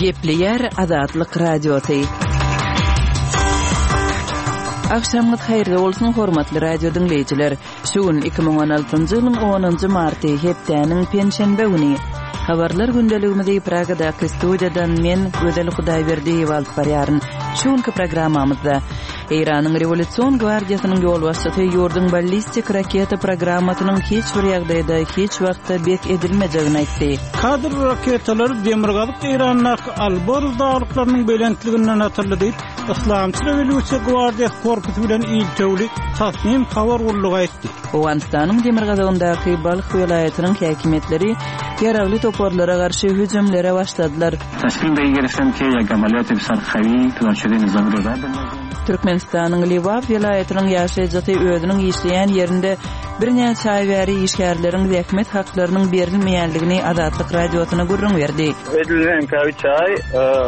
Gepleýär Azatlyk Radiosy. Agşamyňyz haýyrly bolsun, hormatly radio diňleýjiler. Şu gün 2016-njy ýylyň 10-njy marty, hepdäniň penşenbe güni. Habarlar gündeligimizi Pragadaky studiýadan men, Gözel Hudaýberdiýewa alyp barýaryn. Şu günki programmamyzda Eýranyň Rewolýusion gwardiýasynyň ýolbaşçysy ýurduň ballistik raketa programmasynyň hiç bir ýagdaýda, hiç wagtda bes edilmejegini aýtdy. Kadr raketalary demirgazyk Eýrandaky Alborz daglyklarynyň belentliginden atyldy diýip, Yslamçy Rewolýusiýa gwardiýasy korpusy bilen iltewli Tasnim habar gullugy aýtdy. Owganystanyň demirgazygyndaky Balh welaýatynyň häkimiýetleri ýaragly toparlara garşy hüjümlere başladylar. Türkmenistanyň Lebap welaýatynyň ýaşaýjysy özüniň işleýän ýerinde birnäçe aý bäri işgärleriň zähmet haklarynyň berilmeýändigini Azatlyk Radiosyna gürrüň berdi. Edilmänkä üç aý,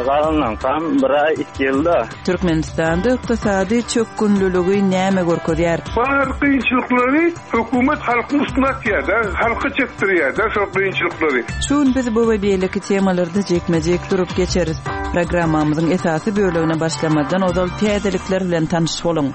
galanlaňkam bir aý, iki ýylda. Türkmenistanda ykdysady çökgünliligi näme görkezýär? Bar kynçylyklary Hökümet halkyň üstüne atýar-da, halka çekdirýär-de şol kynçylyklary. Şu gün biz bu we beýleki temalarda jikme-jik durup geçeris. Programmamyzyň esasy bölegine başlamazdan ozal täzelikler bilen tanyş boluň.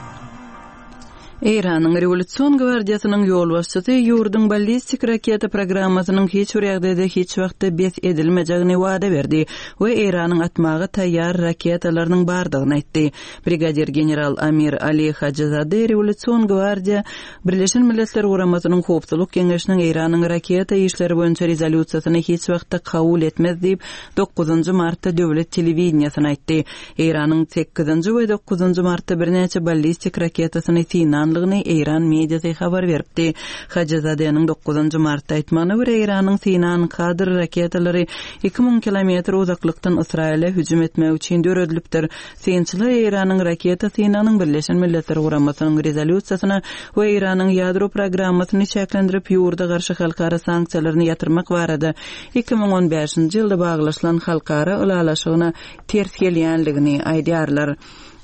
Eýranyň Rewolýusion gwardiýasynyň ýolbaşçysy ýurduň ballistik raketa programmasynyň hiç bir ýagdaýda hiç wagtda bes edilmejegini wada berdi we Eýranyň atmaga taýýar raketalarynyň bardygyny aýtdy. Brigadir general Amir Ali Hajyzade Rewolýusion gwardiýa Birleşen Milletler Guramasynyň Howpsuzlyk Geňeşiniň Eýranyň raketa işleri boýunça rezolýusiýasyny hiç wagtda kabul etmez diýip, dokuzynjy martda döwlet telewideniýesine aýtdy. Eýranyň sekizinji we dokuzynjy martda birnäçe ballistik raketasyny synanlygyny eýran mediasy habar beripdi. Hajyzadeniň dokuzynjy martda aýtmagyna görä, Eýranyň synan Kadr raketalary 2000 kilometr uzaklykdan Ysraýyla hüjüm etmek üçin döredilipdir. Synçylar Eýranyň raketa synagynyň Birleşen Milletler Guramasynyň rezolýusiýasyna we Eýranyň ýadro programmasyny çäklendirip, ýurda garşy halkara sanksiýalaryny ýatyrmak barada 2015-nji ýylda baglaşylan halkara ylalaşygyna ters gelýänligini aýdýarlar.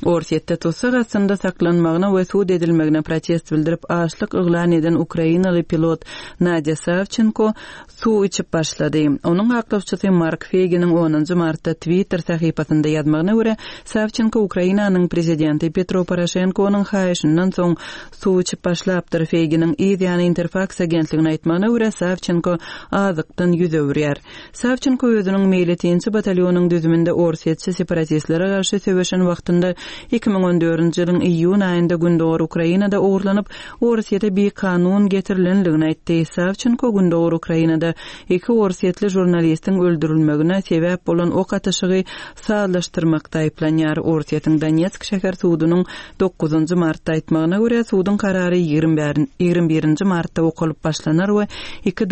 Orsýetde tussag astynda saklanmagyna we sud edilmegine protest bildirip, açlyk yglan eden ukrainaly pilot Nadýa Sawçenko suw içip başlady. Onuň aklawçysy Mark Feýginiň onunjy martda Twitter sahypasynda ýazmagyna görä, Sawçenko Ukrainanyň prezidenti Petro Poroşenkonyň haýyşyndan soň suw içip başlapdyr. Feýginiň yz ýany Interfaks agentligine aýtmagyna görä, Sawçenko azykdan ýüz öwürýär. Sawçenko özüniň meýletinçi batalýonyň düzüminde orsýetçi separatistlere garşy söweşen wagtynda 2014-nji ýylyň iýun aýynda gündogar Ukrainada ogurlanyp, Orsýete bikanun getirilendigini aýtdy. Sawçenko gündogar Ukrainada iki orsýetli žurnalistiň öldürilmegine sebäp bolan ok atyşygy sazlaşdyrmakda aýyplanýar. Orsýetiň Donetsk şäher sudunyň dokuzynjy martda aýtmagyna görä, suduň karary ýigrimi birinji martda okalyp başlanar we iki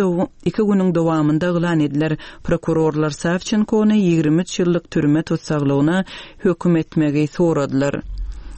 iki günüň dowamynda yglan ediler. Prokurorlar Sawçenkony 23 ýyllyk türme tussaglygyna höküm etmegi soradylar.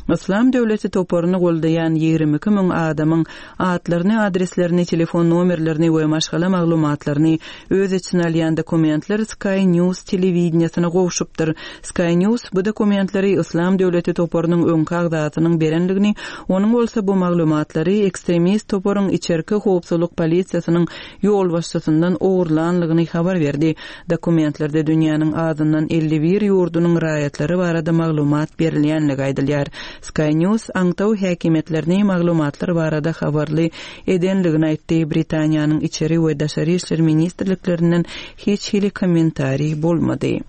Yslam döwleti toparyny goldaýan 22 müň adamyň atlaryny, adreslerini, telefon nomerlerini we maşgala maglumatlaryny öz içine alýan dokumentler Sky News telewideniýesine gowşupdyr. Sky News bu dokumentleri Yslam döwleti toparynyň öňki agzasynyň berendigini, onuň bolsa bu maglumatlary ekstremist toparyň içerki howpsuzlyk polisiýasynyň ýolbaşçysyndan ogurlanlygyny habar berdi. Dokumentlerde dünýäniň azyndan 51 ýurdunyň raýatlary barada maglumat berilýänligi aýdylýar. Sky News aňtaw häkimiýetlerini maglumatlar barada habarly edenligini aýtdy. Britaniýanyň Içeri we Daşary işler ministrliklerinden hiç hili kommentariý bolmady.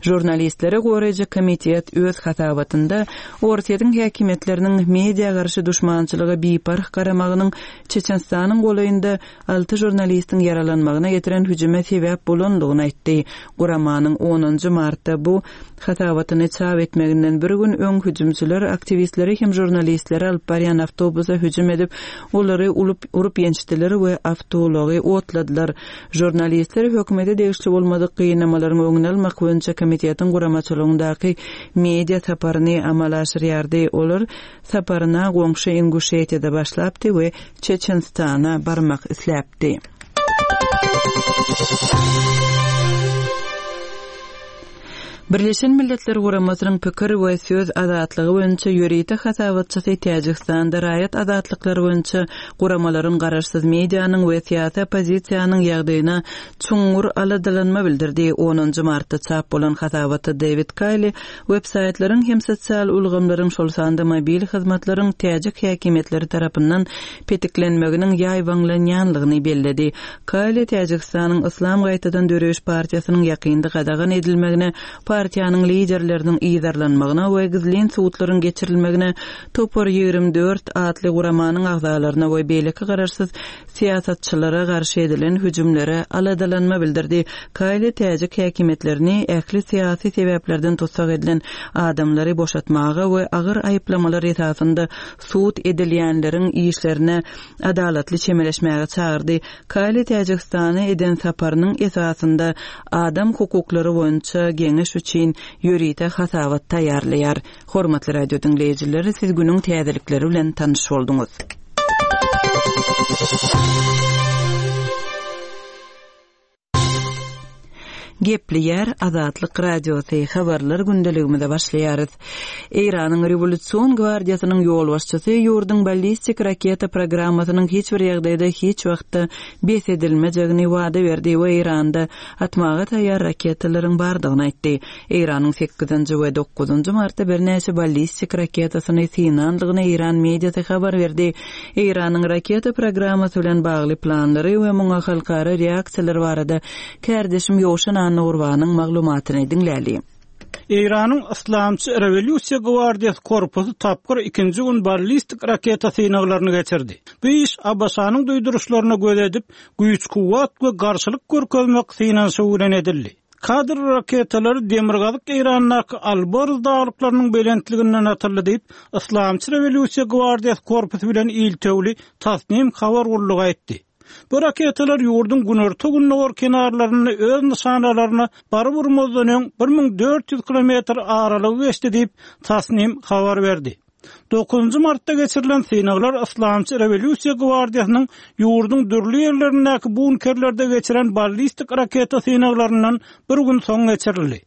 Žurnalistleri goraýjy komitet öz hasabatynda Orsýetiň häkimiýetleriniň media garşy duşmançylyga biparh garamagynyň Çeçenistanyň golaýynda alty žurnalistiň ýaralanmagyna getiren hüjüme sebäp bolandygyny aýtdy. Guramanyň onunjy martda bu hasabatyny çap etmeginden bir gün öň hüjümçiler aktiwistleri hem žurnalistleri alyp barýan awtobusa hüjüm edip, olary urup-ýençdiler we awtoulagy otladylar. Žurnalistler hökümete degişli bolmadyk gynamalaryň öňüni almak boýunça komitetiň guramaçylygyndaky media saparyny amala aşyrýardy. Olar saparyna goňşy Inguşetiýada başlapdy we Çeçenistana barmak isläpdi. Birleşen Milletler Guramasynyň pikir we söz azatlygy boýunça ýörite hasabatçysy Täjigistanda raýat azatlyklary boýunça guramalaryň garaşsyz medianyň we syýasy oppozisiýanyň ýagdaýyna çuňňur aladalanma bildirdi. Onunjy martda çap bolan hasabatda Dewid Kaýli websaýtlaryň hem sosial ulgamlaryň, şol sanda mobil hyzmatlaryň täjik häkimiýetleri tarapyndan petiklenmeginiň ýaýbaňlanýanlygyny belledi. Kaýli Täjigistanyň Yslam gaýtadan döreýiş partiýasynyň ýakynda gadagan edilmegine, partiýanyň liderleriniň yzarlanmagyna we gizlin sudlaryň geçirilmegine, Topar 24 atly guramanyň agzalaryna we beýleki garaşsyz syýasatçylara garşy edilen hüjümlere aladalanma bildirdi. Kaýli täjik häkimiýetlerini ähli syýasy sebäplerden tussag edilen adamlary boşatmaga we agyr aýyplamalar esasynda sud edilýänleriň işlerine adalatly çemeleşmäge çagyrdy. Kaýli Täjigistana eden saparynyň esasynda adam hukuklary boýunça geňeş üçin ýörite hasabat taýýarlaýar. Hormatly radio diňleýjiler, siz günüň täzelikleri bilen tanyş bolduňyz. Gepleýär Azatlyk Radiosy, habarlar gündeligimize başlaýarys. Eýranyň Rewolýusion gwardiýasynyň ýolbaşçysy ýurduň ballistik raketa programmasynyň hiç bir ýagdaýda hiç wagtda bes edilmejegini wada berdi we Eýranda atmaga taýýar raketalaryň bardygyny aýtdy. Eýranyň sekizinji we dokuzynjy martda birnäçe ballistik raketasyny synandygyny eýran mediasy habar berdi. Eýranyň raketa programmasy bilen bagly planlary we muňa halkara reaksiýalar barada kärdeşim Ýowşan Annagurbanyň maglumatyny diňläli. Eýranyň Yslamçy rewolýusiýa gwardiýasy korpusy tapgyr ikinji gün ballistik raketa synaglaryny geçirdi. Bu iş ABŞ-nyň duýduryşlaryna göz edip, güýç-kuwwat we garşylyk görkezmek synanyşygy bilen edildi. Kadr raketalary demirgazyk Eýrandaky Alborz daglyklarynyň belentliginden atyldy diýip, Yslamçy rewolýusiýa gwardiýasy korpusy bilen iltewli Tasnim habar gullugy aýtdy. Bu raketalar ýurduň günorta-gündogar kenarlarynda öz nyşanalaryna baryp urmazdan öň 1400 kilometr aralygy geçdi diýip, Tasnim habar berdi. Dokuzynjy martda geçirilen synaglar Yslamçy rewolýusiýa gwardiýasynyň ýurduň dürli ýerlerindäki bunkerlerde geçiren ballistik raketa synaglaryndan bir gün soň geçirildi.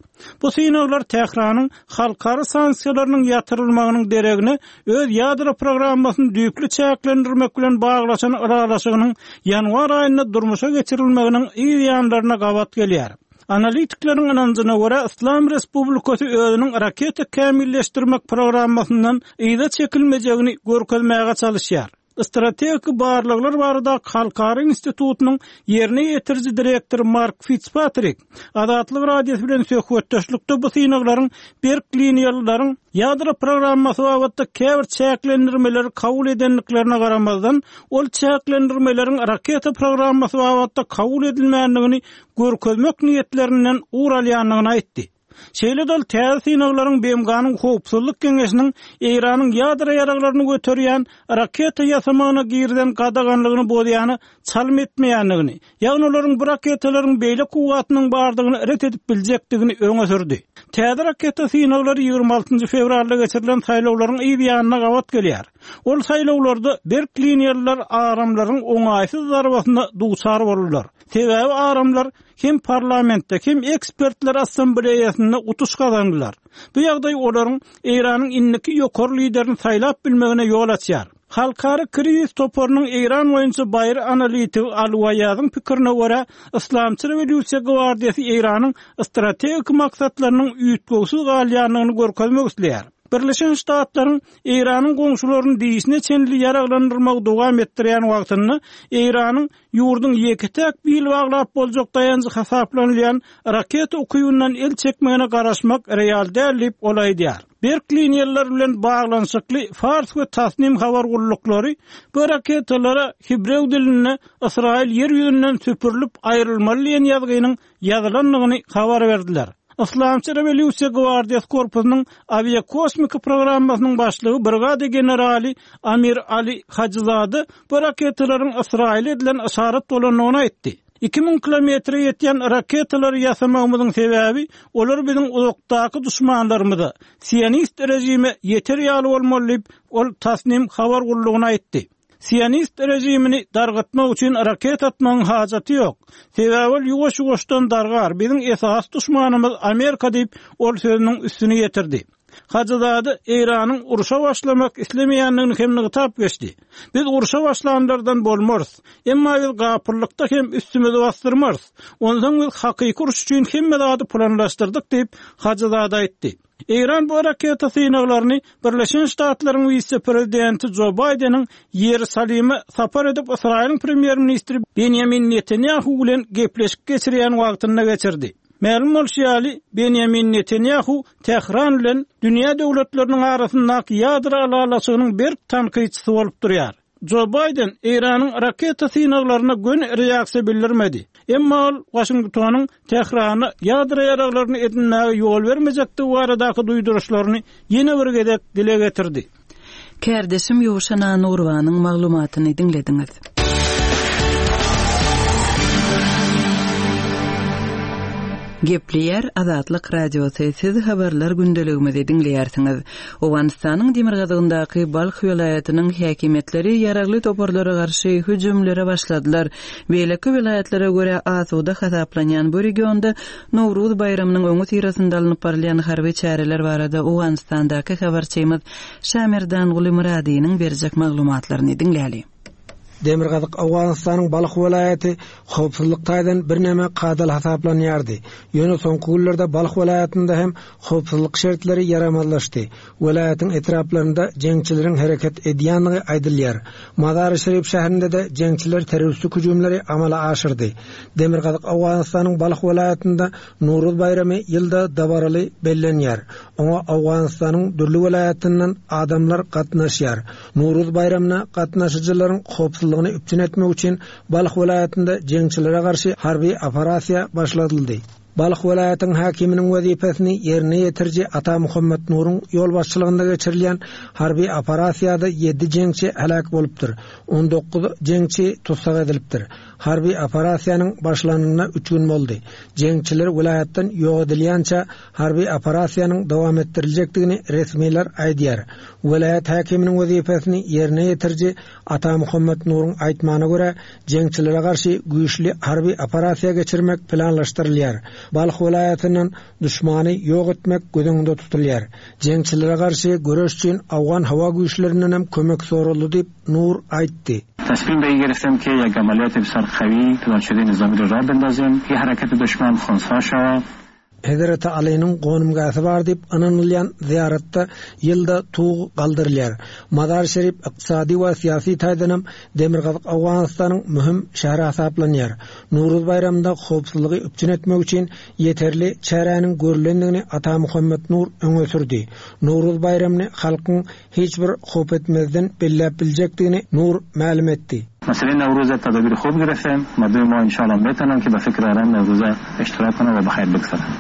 Bu synaglar Tähranyň halkara sanksiýalarynyň ýatyrylmagynyň deregine öz ýadro programmasyny düýpli çäklendirmek bilen baglaşan ylalaşygynyň ýanwar aýynda durmuşa geçirilmeginiň yz ýanlaryna gabat gelýär. Analitikleriň ynanjyna görä, Yslam Respublikasy özüniň raketa kämilleşdirmek programmasyndan yza çekilmejegini görkezmäge çalyşýar. Strategik barlaglar baradaky halkara institutynyň ýerine ýetiriji direktory Mark Fitzpatrik Azatlyk Radiosy bilen söhbetdeşlikde bu synaglaryň berk liniýalylaryň ýadro programmasy babatda käbir çäklendirmeleri kabul edendiklerine garamazdan, ol çäklendirmeleriň raketa programmasy babatda kabul edilmändigini görkezmek niýetlerinden ugur alýandygyny aýtdy. Şeýle-de ol täze synaglaryň BMG-niň Howpsuzlyk Geňeşiniň Eýranyň ýadro ýaraglaryny göterýän raketa ýasamagyna girizen gadaganlygyny bozýana çalym etmeýändigini, ýagny olaryň bu raketalaryň beýle kuwwatynyň bardygyny ret edip biljekdigini öňe sürdi. Täze raketa synaglary 26 fewralda geçirilen saýlawlaryň yz ýanyna gabat gelýär. Ol saýlawlarda berk liniýalylar aramlaryň oňaýsyz zarbasyna duçar boldular. Sebäbi aramlar hem parlamentde, hem ekspertler assambleýasynda utuş gazandylar. Bu ýagdaý olaryň Eýranyň indiki ýokary liderini saýlap bilmegine ýol açýar. Halkara krizis toparynyň Eýran boýunça baýry analitigi Aly Waýazyň pikirine görä, Yslamçy rewolýusiýa gwardiýasy Eýranyň strategik maksatlarynyň üýtgewsiz galýandygyny görkezmek isleýär. Birleşen Ştatlaryň Eýranyň goňşularyny dişine çenli ýaraglandyrmagy dowam etdirýän wagtynda Eýranyň ýurduň ýeke-täk bil baglap boljak daýanjy hasaplanylýan raketa ukybyndan el çekmegine garaşmak real däl diýip, ol aýdýar. Berk liniýalylar bilen baglanyşykly Fars we Tasnim habar gulluklary bu raketalara hibrew dilinde Ysraýyl ýer ýüzünden süpürilip aýrylmaly diýen ýazgynyň ýazylandygyny habar berdiler. Yslamçy rewolýusiýa gwardiýasy korpusynyň awiakosmika programmasynyň başlygy brigada generaly Amir Ali Hajyzada bu raketalaryň Ysraýyla edilen yşarat bolandygyny aýtdy. 2000 kilometre ýetýän raketalary ýasamagymyzyň sebäbi, olar biziň uzakdaky duşmanlarymyza, sionist režime ýeter ýaly bolmaly diýip, ol Tasnim habar gullugyna aýtdy. Sionist režimini dargatmak üçin raketa atmagyň hajaty ýok. Sebäbi ol ýuwaş-ýuwaşdan dargar, biziň esasy duşmanymyz Amerika diýip, ol sözüniň üstüni ýetirdi. Hajyzade Eýranyň urşa başlamak islemeýändigini hem nygtap geçdi. Biz urşa başlanlardan bolmarys. Emma biz gapyllykda hem üstümizi basdyrmarys. Onsoň biz hakyky uruş üçin hemme zady planlaşdyrdyk diýip, Hajyzade aýtdy. Eýran bu raketa synaglaryny Birleşen Ştatlaryň wise-prezidenti Jo Baýdeniň Ýerusalime sapar edip Ysraýylyň premýer-ministri Benýamin Netanýahu bilen gepleşik geçirýän wagtynda geçirdi. Mälim bolşy ýaly, Benýamin Netanýahu Tähran bilen dünýä döwletleriniň arasyndaky ýadro ylalaşygynyň berk tankytçysy bolup durýar. Jo Baýden Eýranyň raketa synaglaryna göni reaksiýa bildirmedi. Emma ol Waşingtonyň Tährana ýadro ýaraglaryny edinmäge ýol bermejekdigi baradaky duýduryşlaryny ýene bir gezek dile getirdi. Kärdeşim Ýowşan Anurowanyň maglumatyny diňlediňiz. Gepleýär Azatlyk Radiosy, siz habarlar gündeligimizi diňleýärsiňiz. Owganystanyň demirgazygyndaky Balh welaýatynyň häkimiýetleri ýaragly toparlara garşy hüjümlere başladylar. Beýleki welaýatlara görä asuda hasaplanýan bu regionda Nowruz baýramynyň öňüsyrasynda alnyp barylýan harby çäreler barada Owganystandaky habarçymyz Şamerdanguly Myradynyň berjek maglumatlaryny diňläli. Demirgazyk Owganystanyň Balh welaýaty howpsuzlyk taýdan birneme kadaly hasaplanýardy. Ýöne soňky günlerde Balh welaýatynda hem howpsuzlyk şertleri ýaramazlaşdy. Welaýatyň etraplarynda jeňçileriň hereket edýändigi aýdylýar. Mazary-Şerif şäherinde-de jeňçiler terroristik hüjümleri amala aşyrdy. Demirgazyk Owganystanyň Balh welaýatynda Nowruz baýramy ýylda dabaraly bellenýär. Oňa Owganystanyň dürli welaýatyndan adamlar gatnaşýar. Nowruz baýramyna gatnaşyjylaryň howpsuzlygyny üpjün etmek üçin Balh welaýatynda jeňçilere garşy harby operasiýa başladyldy. Balh welaýatyň häkiminiň wezipesini ýerine ýetiriji Ata Muhammet Nuruň ýolbaşçylygynda geçirilýän harby operasiýada ýedi jeňçi heläk bolupdyr, 19 jeňçi tussag edilipdir. Harby operasiýanyň başlanyna üç gün boldy. Jeňçiler welaýatdan ýok edilýänçä harby operasiýanyň dowam etdiriljekdigini resmiler aýdýar. Welaýat häkiminiň wezipesini ýerine ýetiriji Ata Muhammet Nuruň aýtmagyna görä, jeňçilere garşy güýçli harby operasiýa geçirmek planlaşdyrylýar. Balh welaýatyndan duşmany ýok etmek göz öňünde tutulýar. Jeňçilere garşy göreş üçin owgan howa güýçlerindenem kömek soraldy diýip, Nur aýtdy. تصمیم به این گرفتم که یک عملیات بسیار قوی پلان شده نظامی را راه بندازیم که حرکت دشمن خنثی شود. Hezreti Alynyň gonamgähi bar diýip ynanylýan zyýaratda ýylda tug galdyrylýar. Mazar-Şerif ykdysady we syýasy taýdanam Demirgazyk Owganystanyň möhüm şäheri hasaplanýar. Nowruz baýramynda howpsuzlygy üpjün etmek üçin ýeterli çäräniň görlendigini Ata Muhammet Nur öňe sürdi. Nowruz baýramyny halkyň hiç bir howp etmezden belläp biljekdigini Nur mälim etdi. مسئله نوروز تدابیر خوب گرفتیم مردم ما انشاءالله میتونن که به فکر آرام نوروز اشتراک کنن و بخیر بگذرن.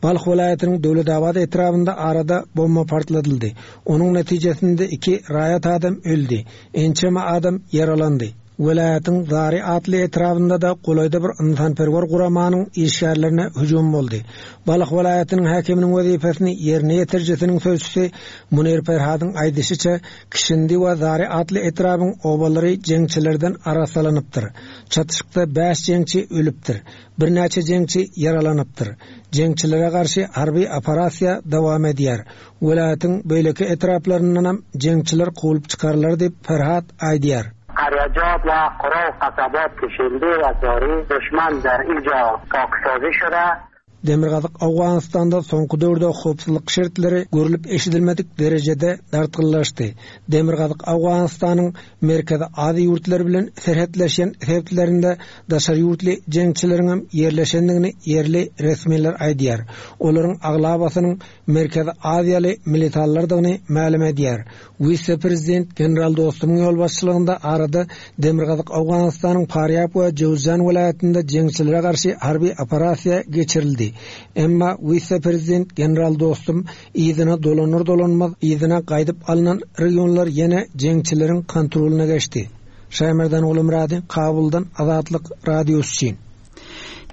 Balh welaýatynyň Döwletabat etrabynda arada bomba partladyldy. Onuň netijesinde iki raýat adam öldi, ençeme adam ýaralandy. Welaýatyň Zary atly etrabynda-da golaýda bir ynsanperwer guramanyň işgärlerine hüjüm boldy. Balh welaýatynyň häkiminiň wezipesini ýerine ýetirijisiniň sözçüsi Munir Perhadyň aýdyşyça, Kişindi we Zary atly etrabyň obalary jeňçilerden arassalanypdyr. Çatyşykda bäş jeňçi ölüpdir. Birnäçe jeňçi ýaralanypdyr. Jeňçilere garşy harby operasiýa dowam edýär. Welaýatyň beýleki etraplaryndanam jeňçiler kowlup çykarylar diýip, Ferhat aýdýar. قریجات و قرا و قصبات کشنده و زاری دشمن در اینجا پاکسازی شده. Demirgazyk Owganystanda soňky döwürde howpsuzlyk şertleri görlüp-eşidilmedik derejede dartgynlaşdy. Demirgazyk Owganystanyň Merkezi Aziýa ýurtlary bilen serhetleşýän sebitlerinde daşary ýurtly jeňçileriňem ýerleşendigini ýerli resmiler aýdýar. Olaryň aglabasynyň Merkezi Aziýaly militanlardygyny mälim edýär. Wise-prezident general Dostumyň ýolbaşçylygynda arada Demirgazyk Owganystanyň Farýab we Jöwüzjan welaýatynda jeňçilere garşy harby operasiýa geçirildi. Emma wise-prezident general Dostum yzyna dolanar-dolanmaz yzyna gaýdyp alnan regionlar ýene jeňçileriň kontrolyna geçdi. Şaýmerdan Gulumyrady, Kabuldan Azatlyk Radiosy üçin.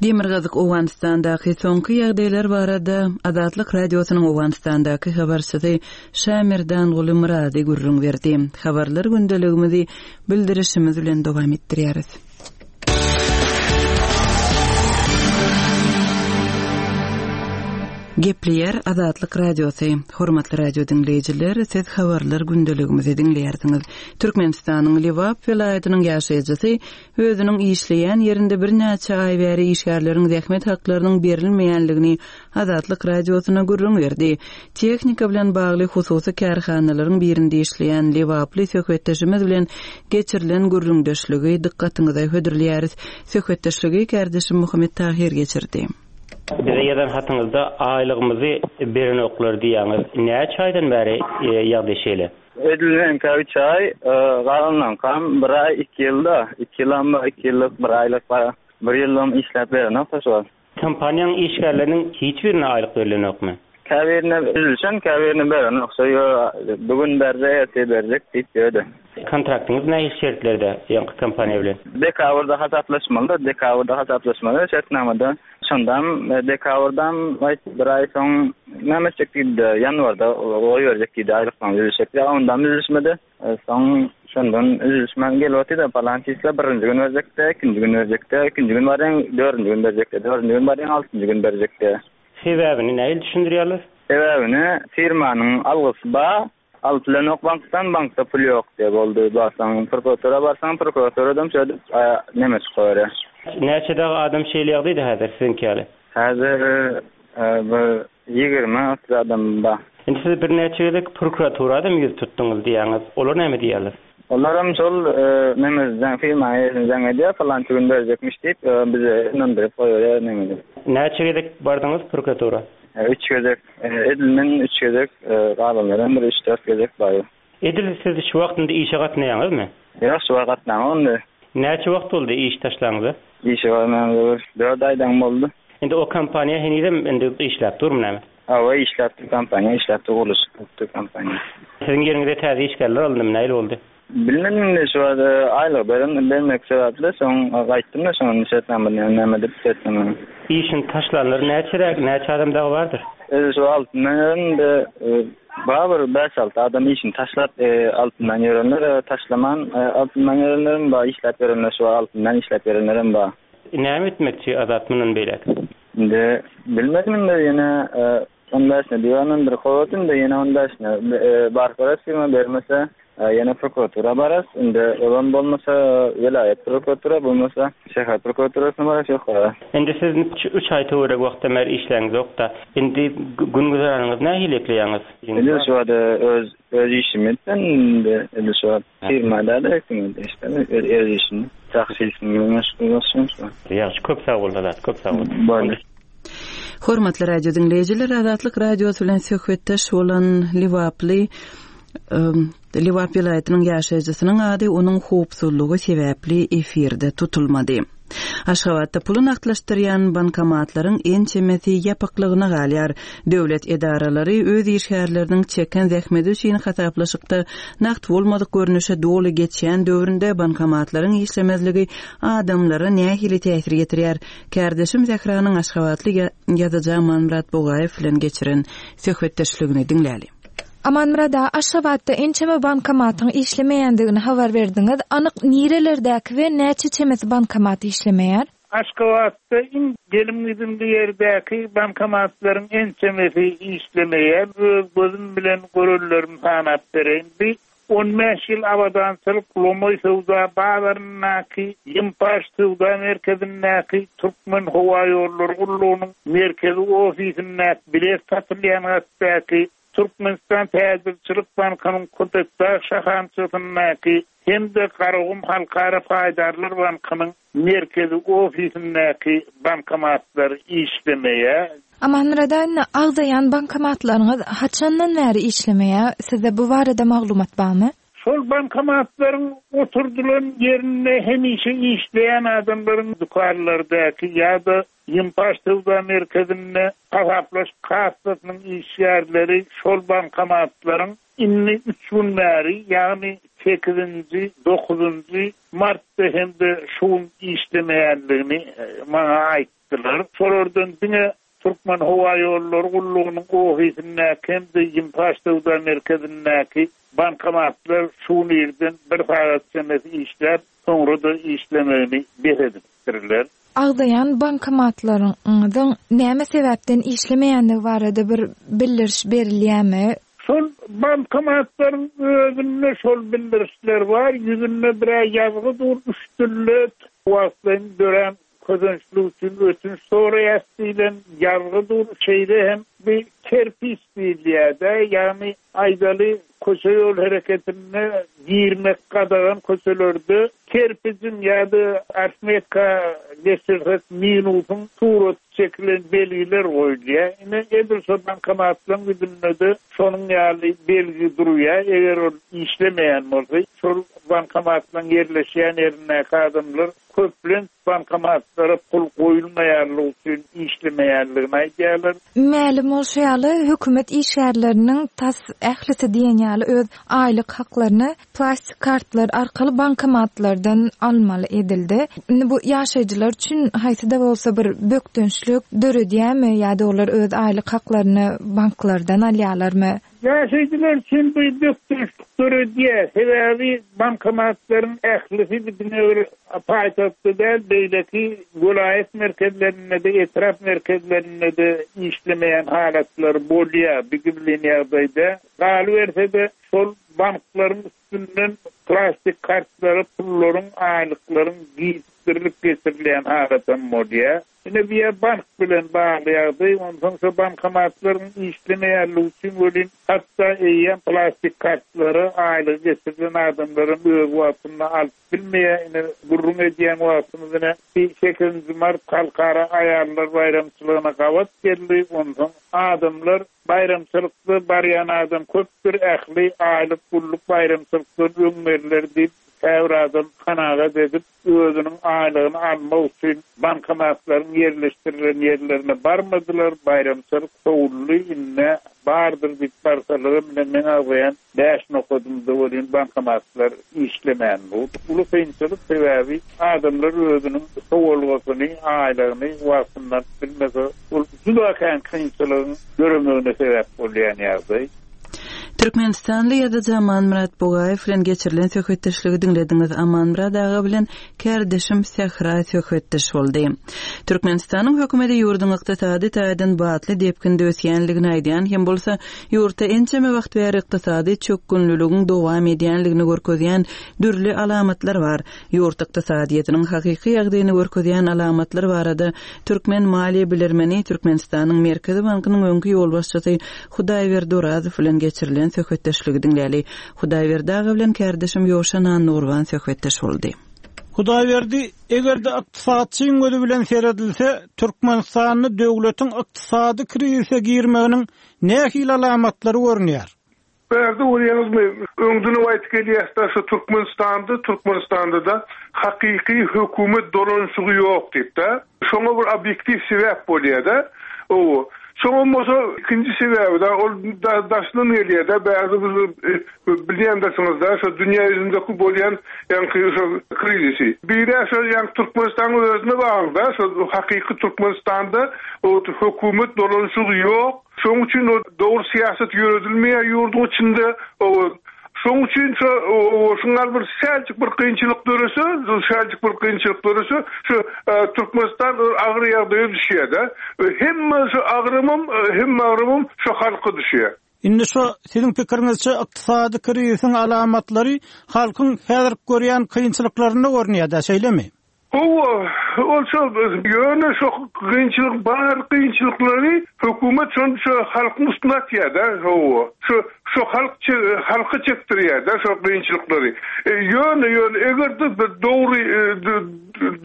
Demirgazyk Owganystandaky soňky ýagdaýlar barada Azatlyk Radiosynyň Owganystandaky habarçysy Şamerdanguly Myrady gürrüň berdi. Habarlar gündeligimizi bildirişimiz bilen dowam etdirýäris. Gepleýär Azatlyk Radiosy. Hormatly radio diňleýjiler, siz habarlar gündeligimizi diňleýärsiňiz. Türkmenistanyň Lebap welaýatynyň ýaşaýjysy özüniň işleýän ýerinde birnäçe aý bäri işgärleriň zähmet haklarynyň berilmeýänligini Azatlyk Radiosyna gürrüň berdi. Tehnika bilen bagly hususy kärhanalaryň birinde işleýän lebaply söhbetdeşimiz bilen geçirilen gürrüňdeşligi dykgatyňyza hödürleýäris. Söhbetdeşligi kärdeşim Muhammet Tahyr geçirdi. Bize ýazan hatyňyzda aýlygymyzy berenoklar diýýäňiz. Näçe aýdan bäri ýagdaý şeýle? Edil meňkä üç aý, galanlaňkam bir aý, iki ýylda. Iki ýylam bar, iki ýyllyk, bir aýlyk bar. Bir ýyllygam işläp berenok-da şu wagt. Kompaniýaň işgärleriniň hiç birine aýlyk berilenokmy? Käbirine üzülişen, käbirine berenok. Şo ýo bu gün berjek, ertir berjek diýip ýördi. Kontraktyňyz nähili şertlerde ýaňky kompaniýa bilen? Dekabrda hasaplaşmalyda, dekabrda hasaplaşmaly şertnamada. Şondam dekabrdam aýt bir aý soň näme etjek diýdi-de, ýanwarda goýberjek diýdi aýlyklaryňyzy üzülişek diýdi. Ondam üzülişmedi. Soň şondan üzülişmän gelip otyr-da, palan çisla birinji gün berjek-de, ikinji gün berjek-de, ikinji gün barýaň, dördünji gün berjek-de, dördünji gün barýaň, altynjy gün berjek-de. Sebäbini nähili düşündirýärler? Sebäbini firmanyň algysy bar, alyp bilenok bankdan, bankda pul ýok diýýär, boldy. Barsaň prokuratura barsaň, prokuraturadam şeýdip neme çykaberýär. Näçe dagy adam şeýle ýagdaýda häzir siziňki ýaly? Häzir bir 20-30 adam bar. Indi siz birnäçe gezek prokuraturadam ýüz tutduňyz diýýäňiz. Olar näme diýýärler? Olaram şol neme jaň firma eýesine jaň edýär, palança gün berjekmiş diýip, bize ynandyryp goýberýär neme diýip. Näçe gezek bardyňyz prokuratura? Üç gezek. Edil men üç gezek, galanlaram bir üç-dört gezek bardy. Edil siz şu wagt indi işe gatnaýaňyzmy? Ýok, şu wagt gatnamok indi. Näçe wagt boldy iş taşlaňyza? Işe barmamyza bir dört aýdan boldy. Indi o kompaniýa henizem indi işläp durmy näme? Hawa işläp dur kompaniýa işläp dur gurluşyk bolup dur kompaniýa. Siziň ýeriňize täze işgärler alyndymy nähili boldy? Bilmedim indi şu wagt aýlygy beren bermek sebäpli soň gaýtdym-da şoň şertnama näme edip şertnama. Işini taşlanlar näçeräk näçe adam dagy bardyr? Özi şu altyndan ýören indi bar bir bäş-alty adam işini taşlap altyndan ýörenler taşlaman altyndan ýörenlerem bar işläp ýörenler şu wagt altyndan işläp ýörenlerem bar. Näme etmekçi Azat mundan beýläk? Indi bilmedim indi ýene on bäşine diýýän bir kowat indi ýene on bäşine baryp görers firma bermese ýene prokuratura bararys indi olam bolmasa welaýat prokuratura bolmasa şäher prokuraturasyna bararys ýokara. Indi siz üç aý töweregi wagtdan bäri işläňizokda indi gün güzeranyňyzy nähili ekleýäňiz? Indi şu wagt öz öz işimi etdim indi indi şu wagt firma däl hökümet işde öz işim taksistlik bilen meşgul bolşum şu wagt. Ýagşy köp sag bol Azat köp sag bol. Boldy. Hormatly radio diňleýjiler Azatlyk Radiosy bilen söhbetdeş bolan Lebaply Lebap welaýatynyň ýaşaýjysynyň ady onuň howpsuzlygy sebäpli efirde tutulmady. Aşgabatda puly nagtlaşdyrýan bankomatlaryň ençemesi ýapyklygyna galýar. Döwlet edaralary öz işgärleriniň çeken zähmeti üçin hasaplaşykda nagt bolmadyk görnüşe doly geçýän döwründe bankomatlaryň işlemezligi adamlara nähili täsir ýetirýär? Kärdeşim Sähranyň aşgabatly ýazyjy Amanmyrat Bugaýew bilen geçiren söhbetdeşligini diňläli. Amanmyrat aga, Aşgabatda ençeme bankomatyň işlemeýändigini habar berdiňiz. Anyk nirelerdäki we näçe çemesi bankomat işlemeýär? Aşgabatda iň gelim-gidimli ýerdäki bankomatlaryň ençemesi işlemeýär. Öz gözüm bilen görenlerimi sanap bereýin. Bi 15 ýyl abadançylyk lomaý söwda bazaryndaky, Ýympaş söwda merkezindäki, Türkmenhowaýollary gullugynyň merkezi ofisindäki bilet satylýan gatdaky, Türkmenistan täjirçilik bankynyň Köpetdag şahamçasyndaky hem-de Garagum halkara paýdarlar bankynyň merkezi ofisindäki bankomatlar işlemeýär. Amanmyrat indi agzaýan bankomatlaryňyz haçandan bäri işlemeýär? Sizde bu barada maglumat barmy? Şol bankomatlaryň oturdylan ýerinde hemişe işleýän adamlaryň dükanlardaky ýa-da Ýympaş söwda merkezinde hasaplaşyk kassasynyň işgärleri şol bankomatlaryň indi üç gün bäri, ýagny. Sekizinji, dokuzynjy martda hem-de şu gün işlemeýändigini maňa aýtdylar. Şolardan diňe Türkmenhowaýollary gullugynyň ofisindäki hem-de Ýimpaş söwda merkezindäki bankomatlar şu gün irden bir sagat çemesi işläp, soňra-da işlemegini bes edipdirler. Agzaýan bankomatlaryňyzyň näme sebäpden işlemeýändigi barada bir bildiriş berilýärmi? Şol bankomatlaryň özünde şol bildirişler bar, ýüzünde bir-ä ýazgy dur, üç dilde wagtlaýyn dörän kösençlik üçin ötünç soraýas diýlen ýazgy dur, şeýle hem bir kerpiç diýilýär-de, ýagny aýdaly köçe-ýol hereketinde girmek gadagan köçelerde kerpijiň ýa-da arifmetika geçirsek minusyň suraty çekilen belgiler goýulýar. Ine, edil şo bankomatlaryň ýüzünde-de şonuň ýaly belgi durýar. Eger ol işlemeýän bolsa, şol bankomatlaryň ýerleşýän ýerindäki adamlar köplenç bankomatlara pul goýulmaýanlygy üçin işlemeýänligini aýdýarlar. Mälim bolşy ýaly, hökümet işgärleriniň tas ählisi diýen ýaly öz aýlyk haklaryny plastik kartlar arkaly bankomatlardan almaly edildi. Indi bu ýaşaýjylar üçin haýsy-da bolsa bir bökdençlik döredýärmi ýa-da olar öz aýlyk haklaryny banklardan alýarlarmy? Ýaşaýjylar üçin bu bökdençlik döredýär. Sebäbi bankomatlaryň ählisi diňe bir paýtagtda däl, beýleki welaýat merkezlerinde-de, etrap merkezlerinde-de işlemeýän halatlary bolýar bu gizlin ýagdaýda. Galyberse-de, şol banklaryň üstünden plastik kartlara pullaryň, aýlyklaryň gijikdirilip geçirilýän halatam bolýar. Ine bu ýer bank bilen bagly ýagdaý, onsoň şo bankomatlaryň işlemeýänligi üçin welin hatda eýýäm plastik kartlary aýlygy geçirilen adamlaram öz wagtynda alyp bilmeýär. Ine gürrüň edýän wagtymyz ine sekizinji mart halkara aýallar baýramçylygyna gabat geldi, onsoň adamlar baýramçylykda barýan adam köpdür ähli aýlyk gulluk baýramçylykdan öň berler diýip käbir adam kanagat edip özüniň aýlygyny almak üçin bankomatlaryň ýerleşdirilen ýerlerine barmadylar, baýramçylyk sowuldy, indi bardyr diýip barsalaram ine meň agzaýan bäş nokadymda welin bankomatlar işlemän dur. Uly kynçylyk, sebäbi adamlar özüniň sowalgasyny, aýlygyny wagtynda alyp bilmese, ol juda kän kynçylygyň döremegine sebäp bolýan ýagdaý. Türkmenistanly ýazyjy Amanmyrat Bugaýew bilen geçirilen söhbetdeşligi diňlediňiz. Amanmyrat aga bilen kärdeşim Sähra söhbetdeş boldy. Türkmenistanyň hökümeti ýurduň ykdysady taýdan batly depginde ösýänligini aýdýan hem bolsa, ýurtda ençeme wagt bäri ykdysady çökgünliligiň dowam edýänligini görkezýän dürli alamatlar bar. Ýurt ykdysadyýetiniň hakyky ýagdaýyny görkezýän alamatlar barada türkmen maliýe bilermeni, Türkmenistanyň Merkezi bankynyň öňki ýolbaşçysy Hudaýberdi Orazow bilen geçirilen söhbetdeşligi diňläli. Hudaýberdi aga bilen kärdeşim Ýowşan Annagurban söhbetdeş boldy. Hudaýberdi, eger-de ykdysatçyň gözi bilen seredilse, Türkmenistanda döwletiň ykdysady krizise girmeginiň nähili alamatlary görünýär? Bärde görýäňizmi, öňdenem aýdyp gelýäs-dä, şu Türkmenistanda, Türkmenistanda-da hakyky hökümet dolanyşygy ýok diýip-dä. Şoňa bir obýektiw sebäp bolýar-da. Hawa. Soňam bolsa ikinji sebäbi-de, ol daşyndan gelýär-dä, bärde biz bilýändirsiňiz-dä, şo dünýä ýüzündeki bolýan ýaňky şo krizisi. Biri-ä şo ýaňky Türkmenistanyň özüne bagly-da, şo hakyky Türkmenistanda hökümet dolanyşygy ýok. Şoň üçin o dogry syýasat ýöredilmeýär ýurduň içinde. Şoň üçin şo şuňa bir säljik bir kynçylyk dörese, säljik bir kynçylyk dörese, şu Türkmenistan agyr ýagdaýa düşýär-de. Hemme şu agramam, hemme agramam şu halka düşýär. Indi şo siziň pikiriňizçe ykdysady krizisiň alamatlary halkyň häzirki görýän kynçylyklarynda görünýär-dä, şeýlemi? Hawa, ol şol, ýöne şo kynçylyk, bar kynçylyklary hökümet şony şo halkyň üstüne atýar-da, hawa. Şo, şo halk halka çekdirýär-de şo kynçylyklary. Ýöne, ýöne eger-de dogry,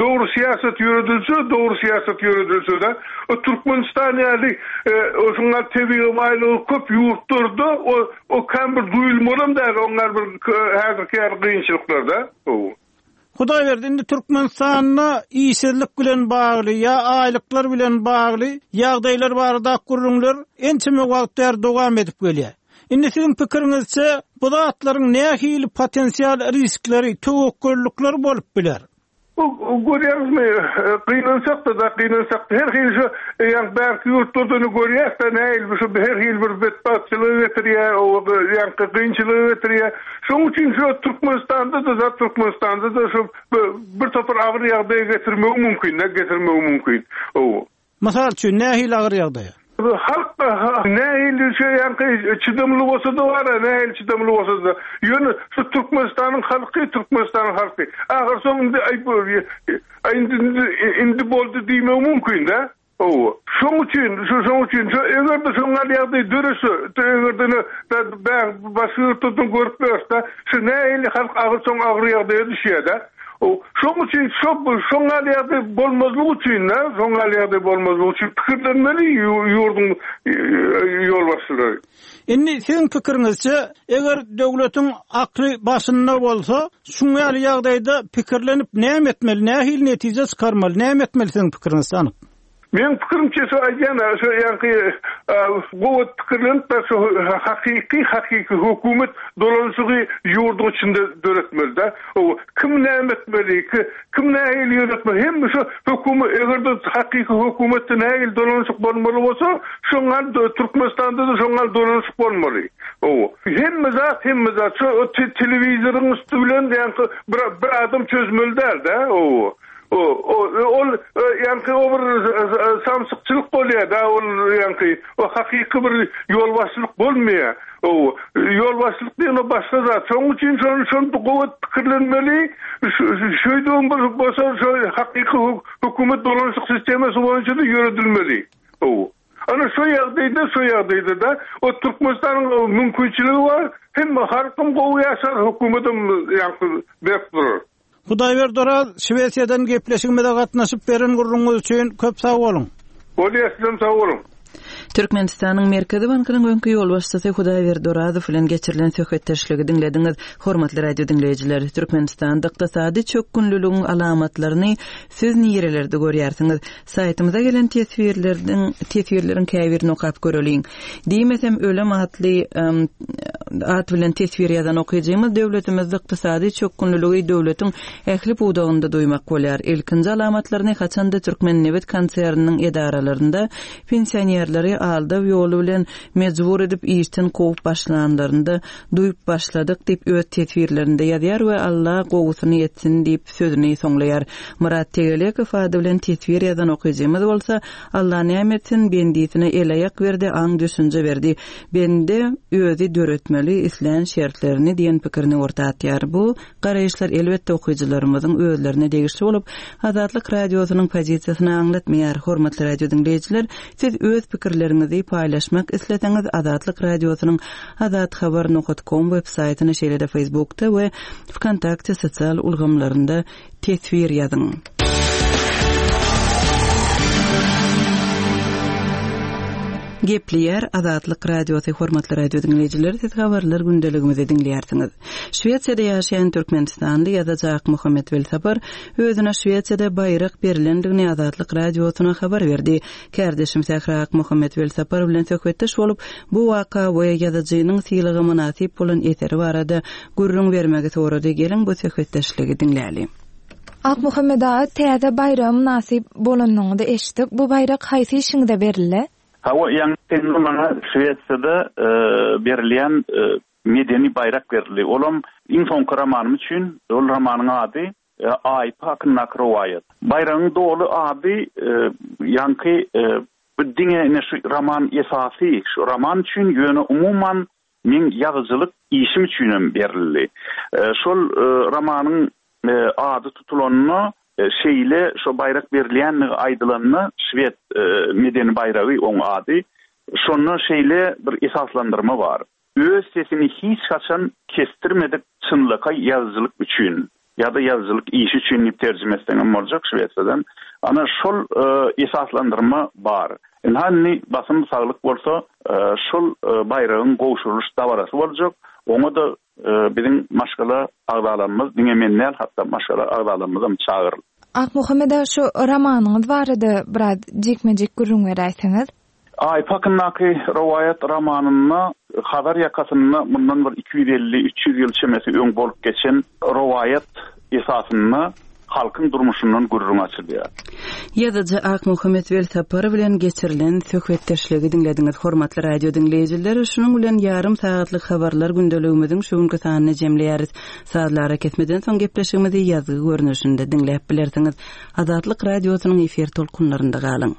dogry syýasat ýöredilse, dogry syýasat ýöredilse-de, o Türkmenistan ýaly şuňa tebigy baýlygy köp ýurtlarda o, o kän bir duýulmalam däl oňa bir häzirki ýaly kynçylyklar-da, hawa. Hudaýberdi, indi Türkmenistanda işsizlik bilen bagly ýa aýlyklar bilen bagly ýagdaýlar baradaky gürrüňler ençeme wagt bäri dowam edip gelýär. Indi siziň pikiriňizçe, bu zatlaryň nähili potensial riskleri, töwekgellikleri bolup biler? Bu görýäňizmi, gynansak-da, gynansak-da her hili şu ýaňky bärki ýurtlarda-da görýäs-de, nähili şu her hili bir betbagtçylyga getirýär, ýaňky kynçylyga getirýär. Şonuň üçin şu Türkmenistanda-da, zat Türkmenistanda-da şu bir topar agyr ýagdaýa getirmegi mümkin-de, getirmegi mümkin. Mysal üçin, nähili agyr ýagdaýa? Halk nähili şu ýaňky çydamly bolsa-da bar-a, nähili çydamly bolsa-da. Ýöne şu Türkmenistanyň halky, Türkmenistanyň halky ahyrsoň indi aý indi indi boldy diýmegi mümkin-dä. Hawa. Şoň üçin, şu şoň üçin şu eger-de şoň ýaly ýagdaý dörese, eger-de ine başga ýurtlardan görüp ýörüs-de, şu nähili halk ahyrsoň agyr ýagdaýa düşýär-dä. Şoň üçin şo şoň ýaly ýagdaý bolmazlygy üçin-de, şoň ýaly ýagdaý bolmazlygy üçin pikirlenmeli ýurduň ýolbaşçylary. Indi siziň pikiriňizçe, eger döwletiň akly başynda bolsa, şuň ýaly ýagdaýda pikirlenip näme etmeli, nähili netije çykarmaly, näme etmeli siziň pikiriňizçe anyk? Meň pikirimçe şu aýdýan şu ýaňky gowy pikirlenip şu hakyky hakyky hökümet dolanyşygy ýurduň içinde döretmelidä. Kim näme etmeli, kim nähili ýöretmeli hemme şu hökümet egerde hakyky hökümetde nähili dolanyşyk bolmaly bolsa şoňa Türkmenistanda-da şoňa dolanyşyk bolmaly. Hemme zat hemme zat şu telewizoryň üsti bilen ýaňky bir adam çözmeli däl-dä. Ol ýaňky o bir samsykçylyk bolýar-da, ol ýaňky o hakyky bir ýolbaşçylyk bolmaýar. Ýolbaşçylyk diýen o başga zat. Şonuň üçin şony şony gowy pikirlenmeli. Şeýdibem bir bolsa şo hakyky hökümet dolanyşyk sistemasy boýunça-da ýöredilmeli. Ana şo ýagdaýda şo ýagdaýda-da o Türkmenistanyň mümkinçiligi bar. Hem halkam gowy ýaşar, hökümetem ýaňky berk durar. Hudaýberdi Oraz, Şwesiýadan gepleşigimize gatnaşyp beren gürrüňiňiz üçin köp sag boluň! Bolýar, sizem sag boluň! Türkmenistanyň Merkezi bankynyň öňki ýolbaşçysy Hudaýberdi Orazow bilen geçirilen söhbetdeşligi diňlediňiz. Hormatly radio diňleýjiler, Türkmenistanda ykdysady çökgünliligiň alamatlaryny siz nirelerde görýärsiňiz? Saýtymyza gelen teswirlerdiň teswirleriň käbirini okap göreliň. Diýmesem ölem atly at bilen teswir ýazan okyjymyz döwletimizde ykdysady çökgünliligi döwletiň ähli pudagynda duýmak bolýar. Ilkinji alamatlaryny haçanda Türkmennebit konserniniň edaralarynda pensionerleri aldaw ýoly bilen mejbur edip işden kowup başlanlarynda duýup başladyk diýip öz teswirlerinde ýazýar we Alla gowusyny etsin diýip sözüni soňlaýar. Myrat Tegelekow ady bilen teswir ýazan okyjymyz bolsa, Alla näme etsin, bendisine el-aýak berdi, aň-düşünje berdi. Bende özi döretmeli islän şertlerini diýen pikirini orta atýar. Bu garaýyşlar elbetde okyjylarymyzyň özlerine degişli bolup, Azatlyk Radiosynyň pozisiýasyny aňlatmaýar. Hormatly radio diňleýjiler, siz öz pikirleriňizi paýlaşmak isleseňiz Azatlyk Radiosynyň Azathabar nokat kom web saýtyna şeýle-de Facebookda we Wkontakte sosial ulgamlarynda teswir ýazyň. Gepleýär Azatlyk Radiosy Hormatly radio diňleýjiler siz habarlar gündeligimizi diňleýärsiňiz. Şwesiýada ýaşaýan türkmenistanly ýazyjy Akmuhammet Welsapar özüne Şwesiýada baýrak berlendigini Azatlyk Radiosyna habar berdi. Kärdeşim Sähra Akmuhammet Welsapar bilen söhbetdeş bolup, bu waka we ýazyjynyň sylaga mynasyp bolan eseri barada gürrüň bermegi sorady. Geliň, bu söhbetdeşligi diňläli. Akmuhammet aga, täze baýraga mynasyp bolanyňyzy eşitdik. Bu baýrak haýsy işiňize berildi? Hawa, ýaňy maňa Şwesiýada berilýän medeni baýrak berildi. Olam iň soňky romanym üçin. Ol romanyň ady Aýpy hakyndaky rowaýat. Baýragyň doly ady ýaňky bu diňe ine şu roman esasy şu roman üçin ýöne umuman meň ýazyjylyk işim üçinem berildi. Şol romanyň ady tutulanda şeýle şo baýrak berilýändigi aýdylanda şwed medeni baýragy oň ady şonda şeýle bir esaslandyrma bar. Öz sesini hiç haçan kesdirmedik çynlakaý ýazyjylyk üçin ýa-da ýazyjylyk işi üçin diýip terjime etseňem boljak şwesiýadan. Ana şol esaslandyrma bar. Ynha indi basym saglyk bolsa şol baýragyň gowşurylyş dabarasy boljak. Oňa-da biziň maşgala agzalarymyz, diňe men däl, hatda maşgala agzalarymyzam çagyryldy. Akmuhammet aga şu romanyňyz barada biraz jikme-jik gürrüň beräýseňiz. Aýpy hakyndaky rowaýat romanynda Hazar ýakasynda mundan bir 250, 300 ýyl çemesi öň bolup geçen rowaýat esasynda halkyň durmuşyndan gürrüň açylýar. Ýazyjy Akmuhammet Welsapar bilen geçirilen söhbetdeşligi diňlediňiz. Hormatly radio diňleýjiler, şunuň bilen ýarym sagatlyk habarlar gündeligimiziň şu günki sanyny jemleýäris. Sazly arakesmeden soň gepleşigimizi ýazgy görnüşinde diňläp bilersiňiz. Azatlyk Radiosynyň efir tolkunlarynda galyň.